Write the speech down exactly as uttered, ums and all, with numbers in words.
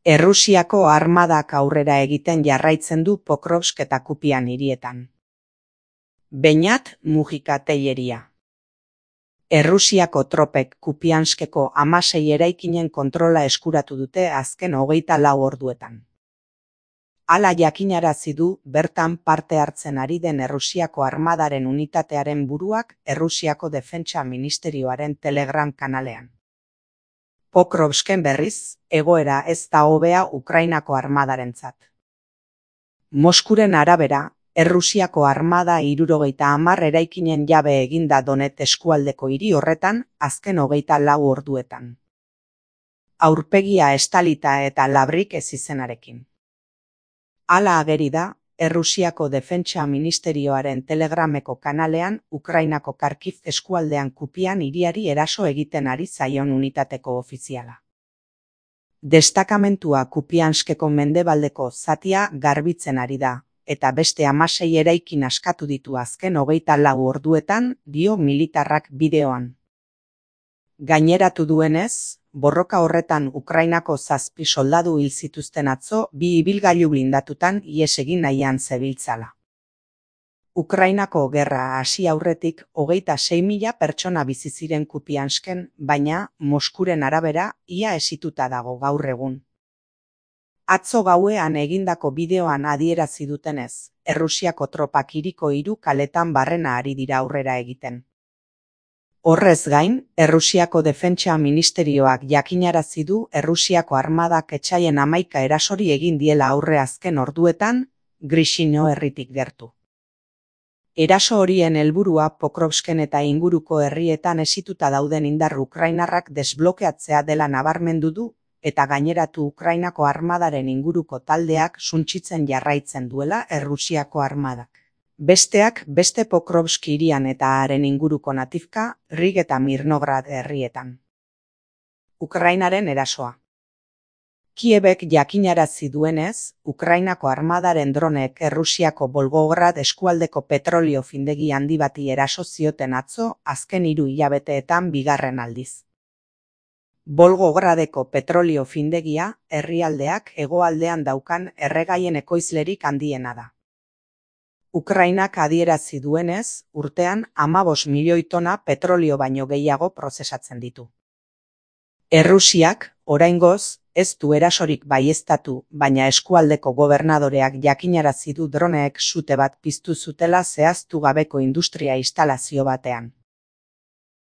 Errusiako armadak aurrera egiten jarraitzen du Pokrovsk eta Kupian hirietan. Beñat Mujika Telleria. Errusiako tropek Kupianskeko hamasei eraikinen kontrola eskuratu dute azken hogeita lau orduetan. Hala jakinarazi du bertan parte hartzen ari den Errusiako armadaren unitatearen buruak Errusiako Defentsa Ministerioaren Telegram kanalean. Pokrovsken berriz, egoera ez da hobea Ukrainako armadarentzat. Moskuren arabera, Errusiako armada hirurogeita hamar eraikinen jabe eginda Donet eskualdeko hiri horretan azken hogeita lau orduetan. Aurpegia estalita eta labrik ez izenarekin. Hala ageri da, Errusiako Defentsa Ministerioaren Telegrameko kanalean Ukrainako Kharkiv eskualdean Kupian hiriari eraso egiten ari zaion unitateko ofiziala. Destakamentua Kupianskeko mendebaldeko zatia garbitzen ari da, eta beste hamasei eraikin askatu ditu azken hogeita lau orduetan, dio militarrak bideoan. Gaineratu duenez, borroka horretan Ukrainako zazpi soldadu hil zituzten atzo bi ibilgailu blindatutan ihes egin nahian zebiltzala. Ukrainako gerra hasi aurretik hogeita sei mila pertsona bizi ziren Kupiansken, baina Moskuren arabera ia hesituta dago gaur egun. Atzo gauean egindako bideoan adierazi dutenez, Errusiako tropak hiriko hiru kaletan barrena ari dira aurrera egiten. Horrez gain, Errusiako Defentsa Ministerioak jakinarazi du Errusiako armadak etsaien hamaika erasori egin diela aurre azken orduetan, Grishino herritik gertu. Eraso horien helburua Pokrovsken eta inguruko herrietan hesituta dauden indar ukrainarrak desblokeatzea dela nabarmendu du, eta gaineratu Ukrainako armadaren inguruko taldeak suntsitzen jarraitzen duela Errusiako armadak. Besteak beste Pokrovsk hirian eta haren inguruko Nativka, Rig eta Mirnograd herrietan. Ukrainaren erasoa. Kiebek jakinarazi duenez, Ukrainako armadaren dronek Errusiako Volgograd eskualdeko petrolio findegi handi bati eraso zioten atzo azken hiru hilabeteetan bigarren aldiz. Volgogradeko petrolio findegia herrialdeak hegoaldean daukan erregaien ekoizlerik handiena da. Ukrainak adierazi duenez, urtean hamabost milioi tona petrolio baino gehiago prozesatzen ditu. Errusiak, oraingoz, ez du erasorik baieztatu, baina eskualdeko gobernadoreak jakinarazi du droneek sute bat piztu zutela zehaztu gabeko industria instalazio batean.